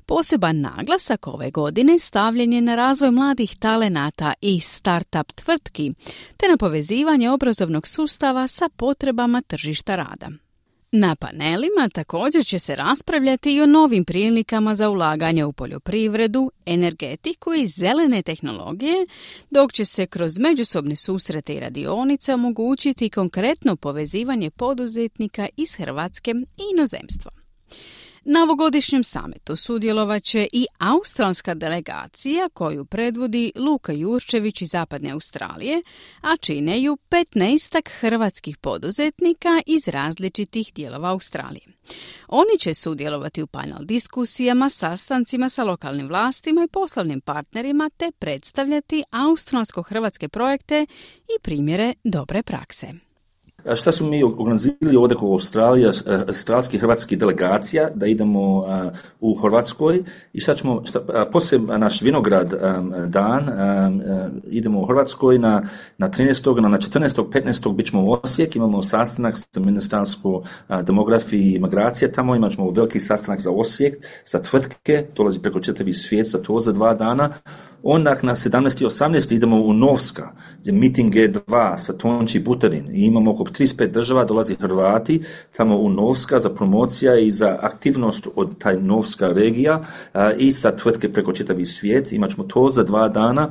Poseban naglasak ove godine stavljen je na razvoj mladih talenata i start-up tvrtki, te na povezivanje obrazovnog sustava sa potrebama tržišta rada. Na panelima također će se raspravljati i o novim prilikama za ulaganje u poljoprivredu, energetiku i zelene tehnologije, dok će se kroz međusobne susrete i radionice omogućiti konkretno povezivanje poduzetnika iz Hrvatske i inozemstva. Na ovogodišnjem samitu sudjelovat će i australska delegacija koju predvodi Luka Jurčević iz Zapadne Australije, a čine ju petnaestak hrvatskih poduzetnika iz različitih dijelova Australije. Oni će sudjelovati u panel diskusijama, sastancima sa lokalnim vlastima i poslovnim partnerima te predstavljati australsko-hrvatske projekte i primjere dobre prakse. Šta smo mi organizirali ovdje kod Australije, australskih hrvatskih delegacija, da idemo uh, u Hrvatskoj i šta ćemo, šta, poslije naš vinograd um, dan, um, uh, idemo u Hrvatskoj na, na trinaestog na četrnaestog petnaestog bit ćemo u Osijek, imamo sastanak sa Ministarstvo uh, demografije i migracije, tamo imat ćemo veliki sastanak za Osijek, za tvrtke, dolazi preko čitavi svijet za to za dva dana. Onda na sedamnaesti i osamnaesti idemo u Novska, gdje meeting G dva sa Tonči Buterin i imamo oko trideset pet država, dolazi Hrvati tamo u Novska za promocija i za aktivnost od taj Novska regija a, i sa tvrtke preko čitavi svijet. Imat ćemo to za dva dana.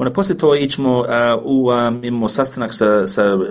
Onda poslije to ićemo uh, u, um, imamo sastanak sa, sa uh,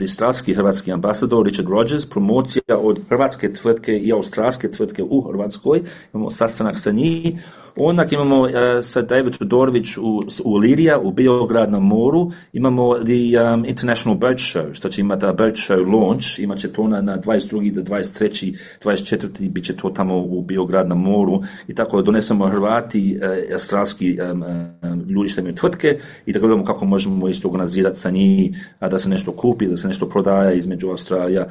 australski hrvatski ambasador Richard Rogers, promocija od hrvatske tvrtke i australske tvrtke u Hrvatskoj, imamo sastanak sa njih. Onda imamo uh, sa David Todorović u, u Lirija, u Beograd na moru, imamo the um, International Boat Show, što će imati Boat Show launch, imat će to na, na dvadeset drugi do dvadeset treći dvadeset četvrti bit će to tamo u Beograd na moru i tako donesemo Hrvati, uh, australski um, um, ljudi što imaju tvrtke i da gledamo kako možemo isto organizirati sa njih, da se nešto kupi, da se nešto prodaje između Australija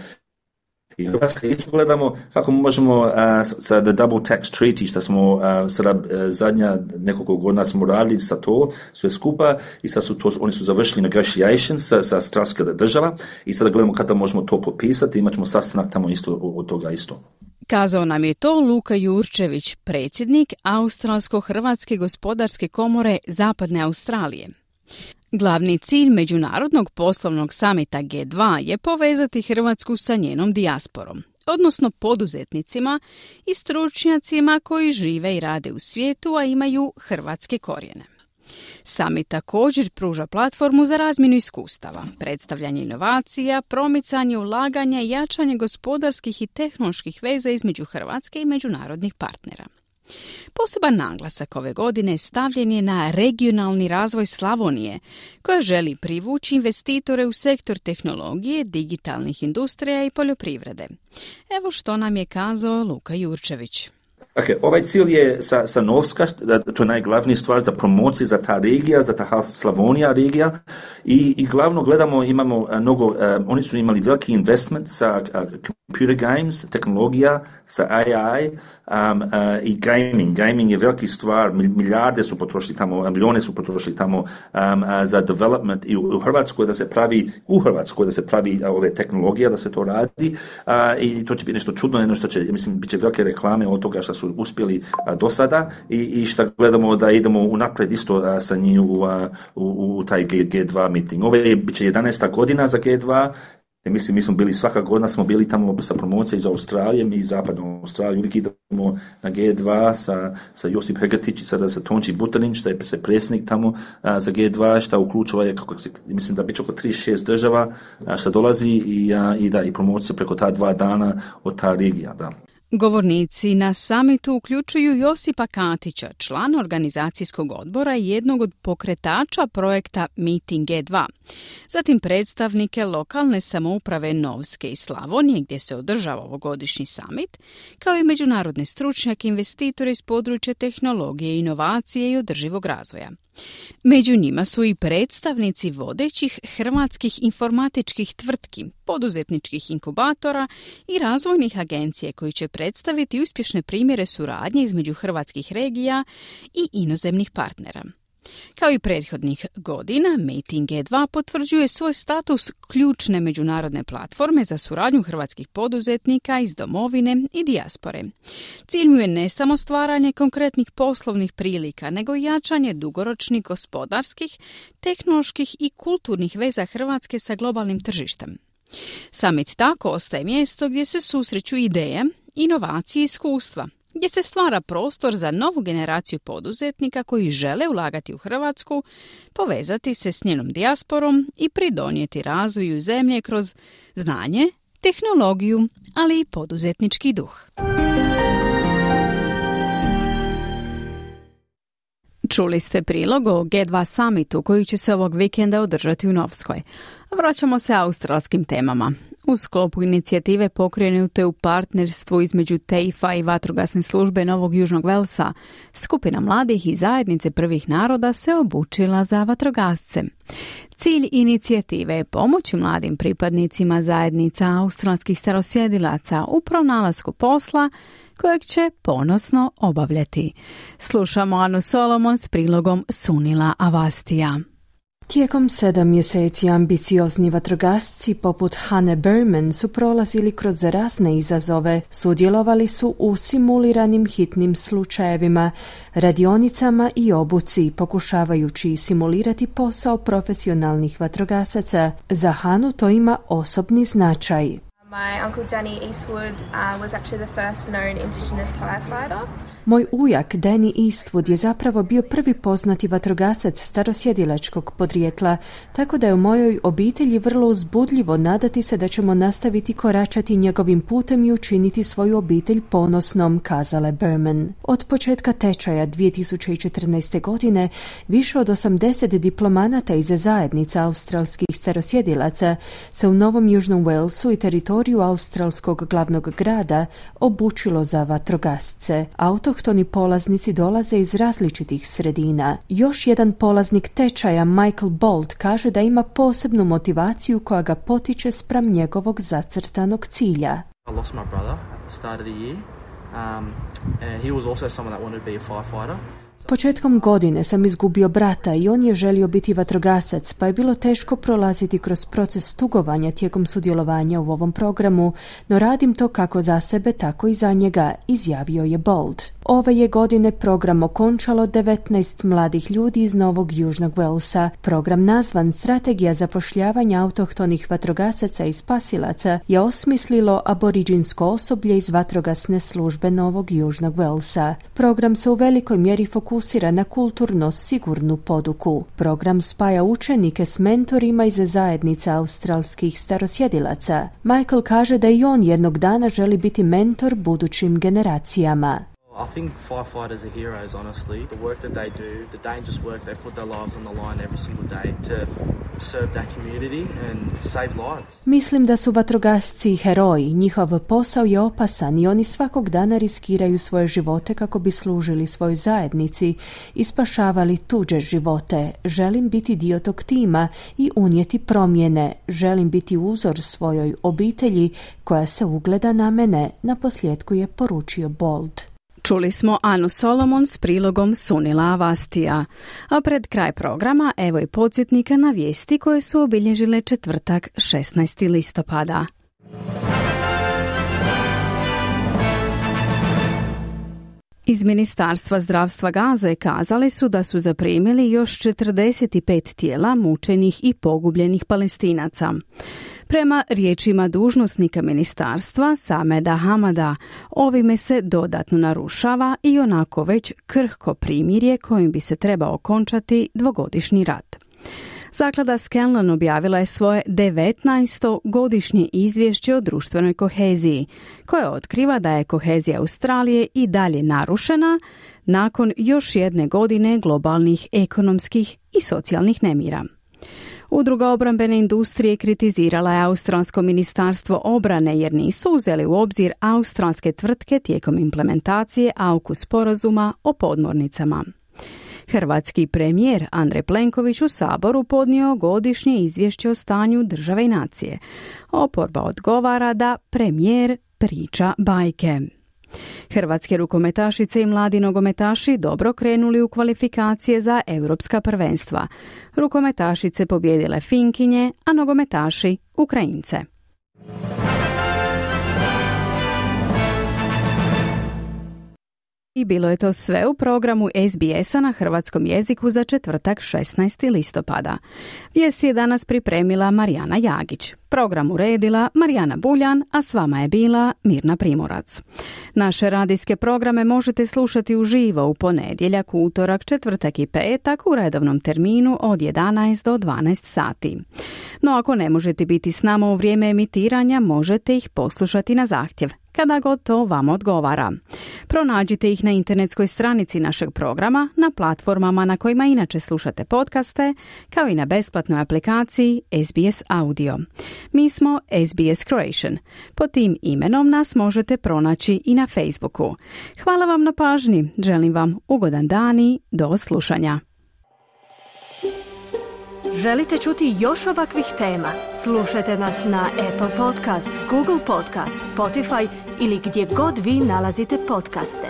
i Hrvatska. Isto gledamo kako možemo uh, sa the double tax treaty, što smo uh, sada uh, zadnja nekoliko godina smo radili sa to sve skupa i sad su to, oni su završili negotiations sa, sa australska država i sada gledamo kada možemo to potpisati, imat ćemo sastanak tamo isto od toga isto. Kazao nam je to Luka Jurčević, predsjednik Australsko-Hrvatske gospodarske komore Zapadne Australije. Glavni cilj Međunarodnog poslovnog samita G dva je povezati Hrvatsku sa njenom dijasporom, odnosno poduzetnicima i stručnjacima koji žive i rade u svijetu, a imaju hrvatske korijene. Summit također pruža platformu za razmjenu iskustava, predstavljanje inovacija, promicanje ulaganja i jačanje gospodarskih i tehnoloških veza između Hrvatske i međunarodnih partnera. Poseban naglasak ove godine stavljen je na regionalni razvoj Slavonije, koja želi privući investitore u sektor tehnologije, digitalnih industrija i poljoprivrede. Evo što nam je kazao Luka Jurčević. Okay, ovaj cilj je sa, sa Novska, to je najglavnija stvar za promociju za ta regija, za ta Slavonija regija i, i glavno gledamo, imamo mnogo, uh, oni su imali veliki investment sa uh, computer games, tehnologija, sa A I um, uh, i gaming. Gaming je veliki stvar, milijarde su potrošili tamo, milijone su potrošili tamo um, uh, za development i u, u Hrvatskoj da se pravi, u Hrvatskoj da se pravi uh, ove tehnologije, da se to radi uh, i to će biti nešto čudno, jedno što će, mislim, bit će velike reklame od toga što su uspjeli a, do sada i, i što gledamo da idemo unaprijed isto a, sa njih u, a, u, u taj G dva meeting. Ovo je bit će jedanaesta godina za G dva. I mislim, mi smo bili svaka godina, smo bili tamo sa promocije iz Australije, mi iz Zapadne Australije, uvijek idemo na G dva sa, sa Josip Hegatić i sada sa Tonči Butanin, što je se predsjednik tamo a, za G dva, što uključuje, kako se, mislim da biće oko trideset šest država a, što dolazi i, a, i da i promocija preko ta dva dana od ta regija, da. Govornici na samitu uključuju Josipa Katića, člana organizacijskog odbora i jednog od pokretača projekta Meeting G dva. Zatim predstavnike lokalne samouprave Novske i Slavonije, gdje se održava ovogodišnji samit, kao i međunarodne stručnjake, investitore iz područja tehnologije, inovacije i održivog razvoja. Među njima su i predstavnici vodećih hrvatskih informatičkih tvrtki, poduzetničkih inkubatora i razvojnih agencija koji će predstaviti uspješne primjere suradnje između hrvatskih regija i inozemnih partnera. Kao i prethodnih godina, Meeting G dva potvrđuje svoj status ključne međunarodne platforme za suradnju hrvatskih poduzetnika iz domovine i dijaspore. Cilj mu je ne samo stvaranje konkretnih poslovnih prilika, nego i jačanje dugoročnih gospodarskih, tehnoloških i kulturnih veza Hrvatske sa globalnim tržištem. Summit tako ostaje mjesto gdje se susreću ideje, inovacije i iskustva, gdje se stvara prostor za novu generaciju poduzetnika koji žele ulagati u Hrvatsku, povezati se s njenom dijasporom i pridonijeti razvoju zemlje kroz znanje, tehnologiju, ali i poduzetnički duh. Čuli ste prilog o G dva summitu koji će se ovog vikenda održati u Novskoj. Vraćamo se australskim temama. U sklopu inicijative pokrenute u partnerstvu između T E I F-a i vatrogasne službe Novog Južnog Velsa, skupina mladih i zajednice prvih naroda se obučila za vatrogasce. Cilj inicijative je pomoći mladim pripadnicima zajednica australskih starosjedilaca u pronalasku posla kojeg će ponosno obavljati. Slušamo Anu Solomon s prilogom Sunila Avastija. Tijekom sedam mjeseci ambiciozni vatrogasci poput Hane Berman su prolazili kroz razne izazove, sudjelovali su u simuliranim hitnim slučajevima, radionicama i obuci, pokušavajući simulirati posao profesionalnih vatrogasaca. Za Hanu to ima osobni značaj. My uncle Danny Eastwood uh, was actually the first known Indigenous firefighter. Moj ujak Danny Eastwood je zapravo bio prvi poznati vatrogasac starosjedilačkog podrijetla, tako da je u mojoj obitelji vrlo uzbudljivo nadati se da ćemo nastaviti koračati njegovim putem i učiniti svoju obitelj ponosnom, kazala Berman. Od početka tečaja dvije tisuće četrnaeste. godine više od osamdeset diplomanata iz zajednica australskih starosjedilaca se u Novom Južnom Walesu i teritoriju australskog glavnog grada obučilo za vatrogasce. Autohtoni polaznici dolaze iz različitih sredina. Još jedan polaznik tečaja, Michael Bolt, kaže da ima posebnu motivaciju koja ga potiče spram njegovog zacrtanog cilja. I lost my brother at the start of the year, um, and he was also someone that wanted to be a firefighter. Početkom godine sam izgubio brata i on je želio biti vatrogasac, pa je bilo teško prolaziti kroz proces tugovanja tijekom sudjelovanja u ovom programu, no radim to kako za sebe, tako i za njega, izjavio je Bold. Ove je godine program okončalo devetnaest mladih ljudi iz Novog Južnog Walesa. Program nazvan Strategija zapošljavanja autohtonih vatrogasaca i spasilaca je osmislilo aboriđinsko osoblje iz vatrogasne službe Novog Južnog Walesa. Program se u velikoj mjeri fokusira na kulturno sigurnu poduku. Program spaja učenike s mentorima iz zajednica australskih starosjedilaca. Michael kaže da i on jednog dana želi biti mentor budućim generacijama. I think firefighters are heroes, honestly. The work that they do, the dangerous work, they put their lives on the line every single day to serve that community and save lives. Mislim da su vatrogasci heroji. Njihov posao je opasan i oni svakog dana riskiraju svoje živote kako bi služili svojoj zajednici i spašavali tuđe živote. Želim biti dio tog tima i unijeti promjene. Želim biti uzor svojoj obitelji koja se ugleda na mene, naposljetku je poručio Bold. Čuli smo Anu Solomon s prilogom Sunila Avastija. A pred kraj programa evo i podsjetnika na vijesti koje su obilježile četvrtak šesnaestog listopada. Iz Ministarstva zdravstva Gaze kazali su da su zaprimili još četrdeset pet tijela mučenih i pogubljenih Palestinaca. Prema riječima dužnosnika ministarstva Sameda Hamada, ovime se dodatno narušava i onako već krhko primirje kojim bi se trebao okončati dvogodišnji rat. Zaklada Scanlon objavila je svoje devetnaesto godišnje izvješće o društvenoj koheziji, koje otkriva da je kohezija Australije i dalje narušena nakon još jedne godine globalnih ekonomskih i socijalnih nemira. Udruga obrambene industrije kritizirala je Australsko ministarstvo obrane jer nisu uzeli u obzir australske tvrtke tijekom implementacije AUKUS sporazuma o podmornicama. Hrvatski premijer Andrej Plenković u Saboru podnio godišnje izvješće o stanju države i nacije. Oporba odgovara da premijer priča bajke. Hrvatske rukometašice i mladi nogometaši dobro krenuli u kvalifikacije za europska prvenstva. Rukometašice pobjedile Finkinje, a nogometaši Ukrajince. I bilo je to sve u programu S B S-a na hrvatskom jeziku za četvrtak šesnaestog listopada. Vijesti je danas pripremila Marijana Jagić. Program uredila Marijana Buljan, a s vama je bila Mirna Primorac. Naše radijske programe možete slušati uživo u ponedjeljak, utorak, četvrtak i petak u redovnom terminu od jedanaest do dvanaest sati. No ako ne možete biti s nama u vrijeme emitiranja, možete ih poslušati na zahtjev, kada god to vam odgovara. Pronađite ih na internetskoj stranici našeg programa, na platformama na kojima inače slušate podcaste, kao i na besplatnoj aplikaciji S B S Audio. Mi smo S B S Croatian. Pod tim imenom nas možete pronaći i na Facebooku. Hvala vam na pažnji. Želim vam ugodan dan i do slušanja. Želite čuti još ovakvih tema? Slušajte nas na Apple Podcast, Google Podcast, Spotify ili gdje god vi nalazite podcaste.